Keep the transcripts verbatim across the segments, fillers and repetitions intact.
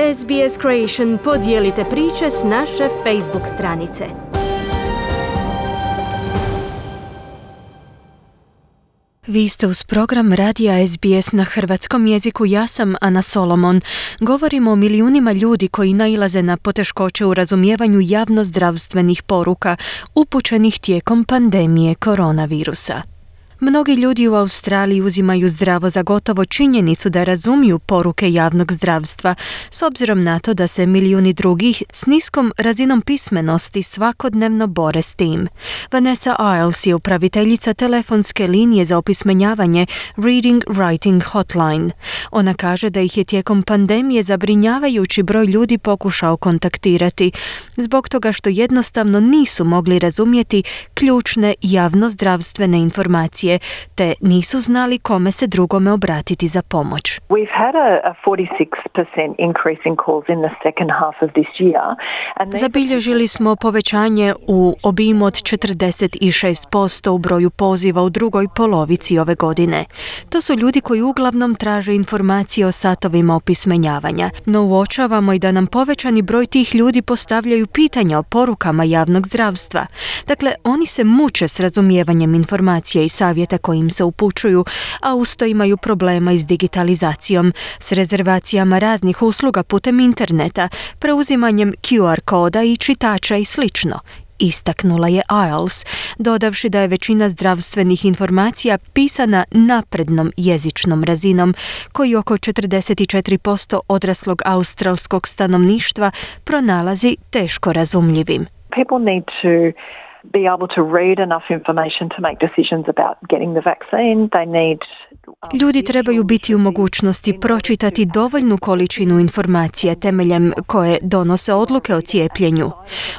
S B S Creation podijelite priče s naše Facebook stranice. Vi ste uz program radija S B S na hrvatskom jeziku. Ja sam Ana Solomon. Govorimo o milijunima ljudi koji nailaze na poteškoće u razumijevanju javnozdravstvenih poruka upućenih tijekom pandemije koronavirusa. Mnogi ljudi u Australiji uzimaju zdravo za gotovo činjenicu da razumiju poruke javnog zdravstva, s obzirom na to da se milijuni drugih s niskom razinom pismenosti svakodnevno bore s tim. Vanessa Isles je upraviteljica telefonske linije za opismenjavanje Reading Writing Hotline. Ona kaže da ih je tijekom pandemije zabrinjavajući broj ljudi pokušao kontaktirati, zbog toga što jednostavno nisu mogli razumjeti ključne javnozdravstvene informacije, te nisu znali kome se drugome obratiti za pomoć. We've had a, a forty-six percent increase in calls in the second half of this year. And Zabilježili smo povećanje u obimu od četrdeset šest posto u broju poziva u drugoj polovici ove godine. To su ljudi koji uglavnom traže informacije o satovima opismenjavanja, no uočavamo i da nam povećani broj tih ljudi postavljaju pitanja o porukama javnog zdravstva. Dakle, oni se muče s razumijevanjem informacija i savjeta kojim se upućuju, a usto imaju problema i s digitalizacijom, s rezervacijama raznih usluga putem interneta, preuzimanjem Q R koda i čitača i slično, istaknula je Isles, dodavši da je većina zdravstvenih informacija pisana naprednom jezičnom razinom, koji oko četrdeset četiri posto odraslog australskog stanovništva pronalazi teško razumljivim. people need to be able to read enough information to make decisions about getting the vaccine. They need Ljudi trebaju biti u mogućnosti pročitati dovoljnu količinu informacija temeljem koje donose odluke o cijepljenju.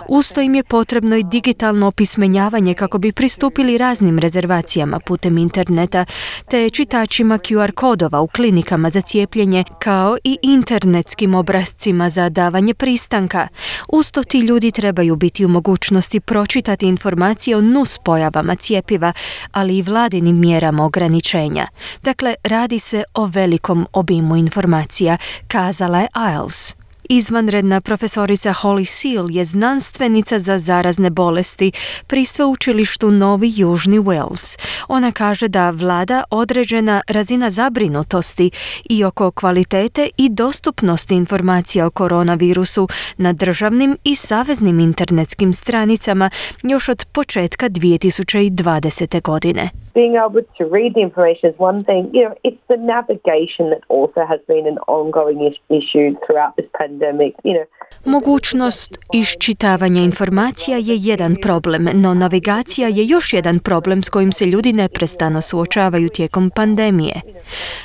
Usto im je potrebno i digitalno opismenjavanje kako bi pristupili raznim rezervacijama putem interneta, te čitačima Q R kodova u klinikama za cijepljenje, kao i internetskim obrascima za davanje pristanka. Usto ti ljudi trebaju biti u mogućnosti pročitati informacije o nuspojavama cjepiva, ali i vladinim mjerama ograničenja. Dakle, radi se o velikom obimu informacija, kazala je Isles. Izvanredna profesorica Holly Seal je znanstvenica za zarazne bolesti pri sveučilištu Novi Južni Wales. Ona kaže da vlada određena razina zabrinutosti i oko kvalitete i dostupnosti informacija o koronavirusu na državnim i saveznim internetskim stranicama još od početka dvije tisuće dvadesete. godine. Being able to read the information is one thing. You know, it's the navigation that also has been an ongoing issue throughout this pandemic. You know, Mogućnost iščitavanja informacija je jedan problem, no navigacija je još jedan problem s kojim se ljudi neprestano suočavaju tijekom pandemije.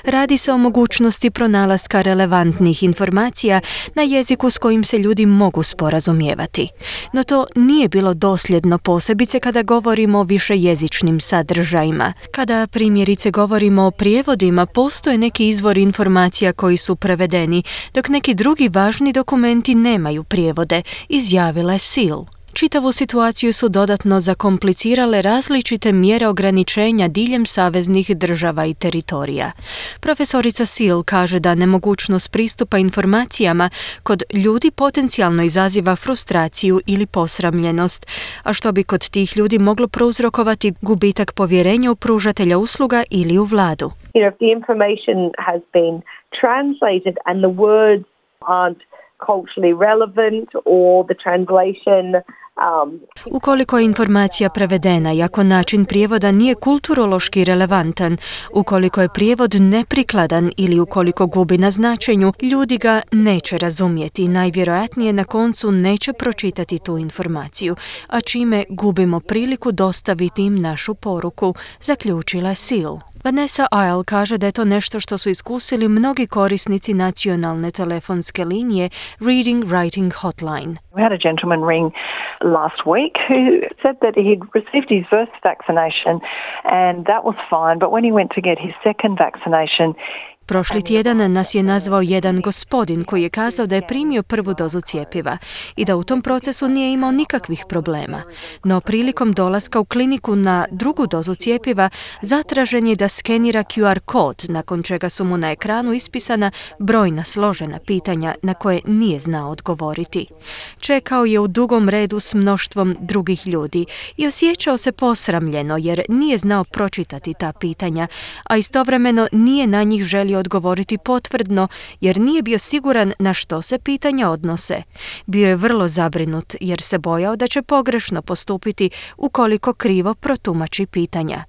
Radi se o mogućnosti pronalaska relevantnih informacija na jeziku s kojim se ljudi mogu sporazumijevati. No to nije bilo dosljedno, posebice kada govorimo o višejezičnim sadržajima. Kada primjerice govorimo o prijevodima, postoje neki izvori informacija koji su prevedeni, dok neki drugi važni dokumenti nemaju prijevode, izjavila je Seal. Čitavu situaciju su dodatno zakomplicirale različite mjere ograničenja diljem saveznih država i teritorija. Profesorica Seal kaže da nemogućnost pristupa informacijama kod ljudi potencijalno izaziva frustraciju ili posramljenost, a što bi kod tih ljudi moglo prouzrokovati gubitak povjerenja u pružatelja usluga ili u vladu. you know, if the information has been translated and the words aren't culturally relevant or the translation um, Ukoliko je informacija prevedena i ako način prijevoda nije kulturološki relevantan, ukoliko je prijevod neprikladan ili ukoliko gubi na značenju, ljudi ga neće razumjeti i najvjerojatnije na koncu neće pročitati tu informaciju, a čime gubimo priliku dostaviti im našu poruku, zaključila je Seal. Vanessa Isle kaže da je to nešto što su iskusili mnogi korisnici nacionalne telefonske linije Reading Writing Hotline. we had a gentleman ring last week who said that he'd received his first vaccination and that was fine, but when he went to get his second vaccination, Prošli tjedan nas je nazvao jedan gospodin koji je kazao da je primio prvu dozu cjepiva i da u tom procesu nije imao nikakvih problema. No prilikom dolaska u kliniku na drugu dozu cjepiva zatražen je da skenira Q R kod, nakon čega su mu na ekranu ispisana brojna složena pitanja na koje nije znao odgovoriti. Čekao je u dugom redu s mnoštvom drugih ljudi i osjećao se posramljeno jer nije znao pročitati ta pitanja, a istovremeno nije na njih želio odgovoriti potvrdno jer nije bio siguran na što se pitanja odnose. Bio je vrlo zabrinut jer se bojao da će pogrešno postupiti ukoliko krivo protumači pitanja.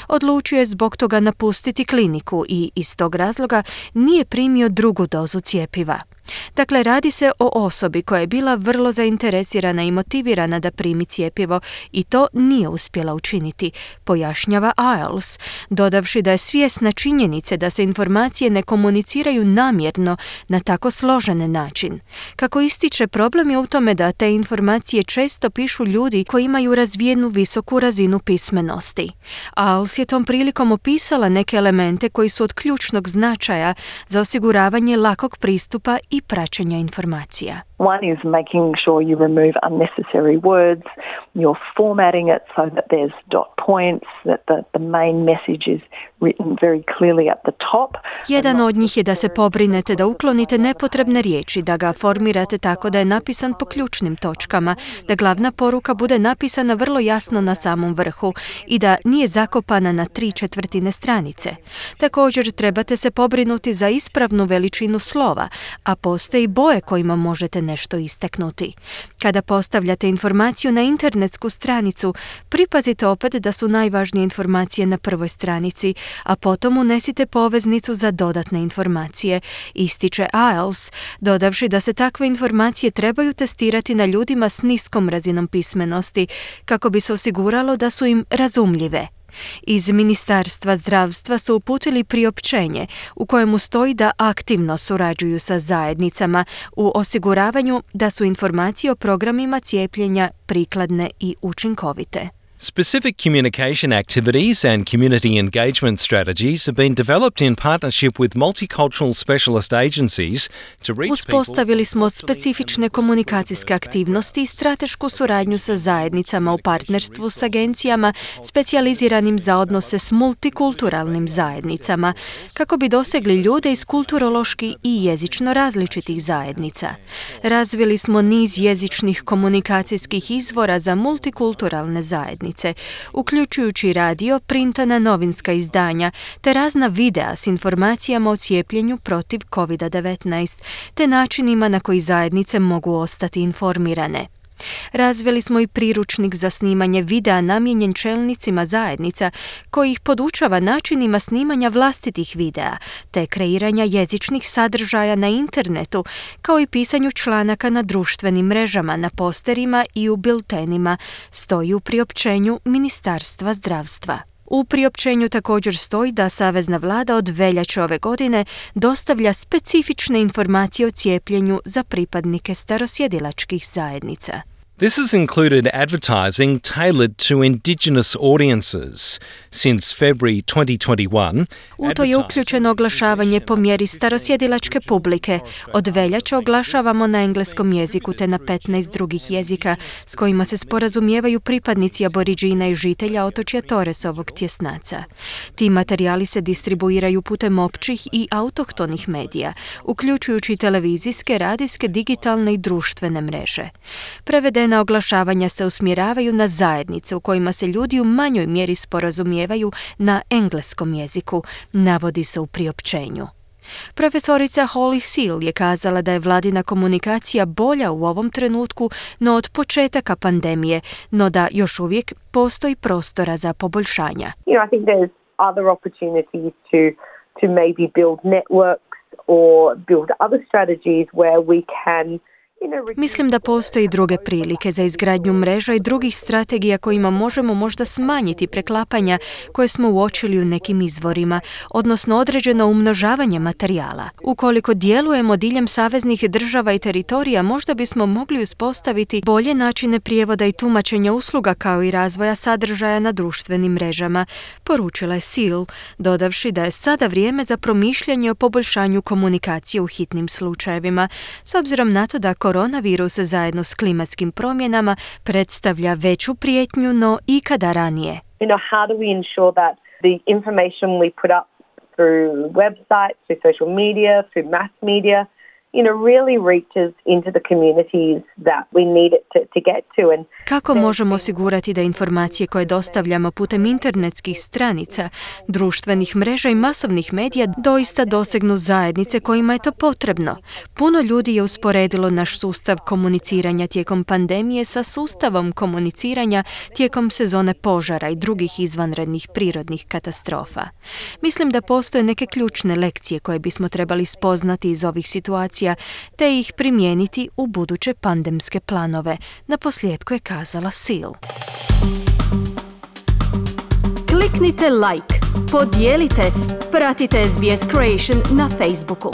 Odlučio je zbog toga napustiti kliniku i iz tog razloga nije primio drugu dozu cjepiva. Dakle, radi se o osobi koja je bila vrlo zainteresirana i motivirana da primi cjepivo i to nije uspjela učiniti, pojašnjava Isles, dodavši da je svjesna činjenice da se informacije ne komuniciraju namjerno na tako složen način. Kako ističe, problem je u tome da te informacije često pišu ljudi koji imaju razvijenu visoku razinu pismenosti. Isles je tom prilikom opisala neke elemente koji su od ključnog značaja za osiguravanje lakog pristupa i praćenja informacija. One is making sure you remove unnecessary words, you're formatting it so that there's dot points, that the, the main message is written very clearly at the top. Jedan od njih je da se pobrinete da uklonite nepotrebne riječi, da ga formirate tako da je napisan po ključnim točkama, da glavna poruka bude napisana vrlo jasno na samom vrhu i da nije zakopana na tri četvrtine stranice. Također trebate se pobrinuti za ispravnu veličinu slova, a postoje i boje kojima možete nešto istaknuti. Kada postavljate informaciju na internetsku stranicu, pripazite opet da su najvažnije informacije na prvoj stranici, a potom unesite poveznicu za dodatne informacije, ističe Isles, dodavši da se takve informacije trebaju testirati na ljudima s niskom razinom pismenosti kako bi se osiguralo da su im razumljive. Iz Ministarstva zdravstva su uputili priopćenje u kojemu stoji da aktivno surađuju sa zajednicama u osiguravanju da su informacije o programima cijepljenja prikladne i učinkovite. Specific communication activities and community engagement strategies have been developed in partnership with multicultural specialist agencies to reach people. Uspostavili smo specifične komunikacijske aktivnosti i stratešku suradnju sa zajednicama u partnerstvu s agencijama specijaliziranim za odnose s multikulturalnim zajednicama, kako bi dosegli ljude iz kulturološki i jezično različitih zajednica. Razvili smo niz jezičnih komunikacijskih izvora za multikulturalne zajednice, uključujući radio, printana novinska izdanja te razna videa s informacijama o cijepljenju protiv kovid devetnaest te načinima na koji zajednice mogu ostati informirane. Razvili smo i priručnik za snimanje videa namijenjen čelnicima zajednica koji ih podučava načinima snimanja vlastitih videa te kreiranja jezičnih sadržaja na internetu kao i pisanju članaka na društvenim mrežama, na posterima i u biltenima, stoji u priopćenju Ministarstva zdravstva. U priopćenju također stoji da Savezna vlada od veljače ove godine dostavlja specifične informacije o cijepljenju za pripadnike starosjedilačkih zajednica. This has included advertising tailored to Indigenous audiences. Since February twenty twenty-one, u to je uključeno oglašavanje po mjeri starosjedilačke publike. Od veljače oglašavamo na engleskom jeziku te na petnaest drugih jezika s kojima se sporazumijevaju pripadnici aboriđina i žitelja otočja Torresovog tjesnaca. Ti materijali se distribuiraju putem općih i autohtonih medija, uključujući televizijske, radijske, digitalne i društvene mreže. Prevedene na oglašavanja se usmjeravaju na zajednice u kojima se ljudi u manjoj mjeri sporazumijevaju na engleskom jeziku, navodi se u priopćenju. Profesorica Holly Seal je kazala da je vladina komunikacija bolja u ovom trenutku no od početaka pandemije, no da još uvijek postoji prostora za poboljšanja. You know, I think there's other opportunities to to maybe build networks or build other strategies where we can Mislim da postoji druge prilike za izgradnju mreža i drugih strategija kojima možemo možda smanjiti preklapanja koje smo uočili u nekim izvorima, odnosno određeno umnožavanje materijala. Ukoliko djelujemo diljem saveznih država i teritorija, možda bismo mogli uspostaviti bolje načine prijevoda i tumačenja usluga kao i razvoja sadržaja na društvenim mrežama, poručila je Seal, dodavši da je sada vrijeme za promišljanje o poboljšanju komunikacije u hitnim slučajevima, s obzirom na to da koronavirus zajedno s klimatskim promjenama predstavlja veću prijetnju no ikada ranije. You know, how do we ensure that the information we put up through websites, through social media, through mass media, you know, really reaches into the communities that we need it to, to get to. And kako možemo osigurati da informacije koje dostavljamo putem internetskih stranica, društvenih mreža i masovnih medija doista dosegnu zajednice kojima je to potrebno? Puno ljudi je usporedilo naš sustav komuniciranja tijekom pandemije sa sustavom komuniciranja tijekom sezone požara i drugih izvanrednih prirodnih katastrofa. Mislim da postoje neke ključne lekcije koje bismo trebali spoznati iz ovih situacija te ih primijeniti u buduće pandemske planove, naposljetku je kazala Seal. Kliknite like, podijelite, pratite S B S Creation na Facebooku.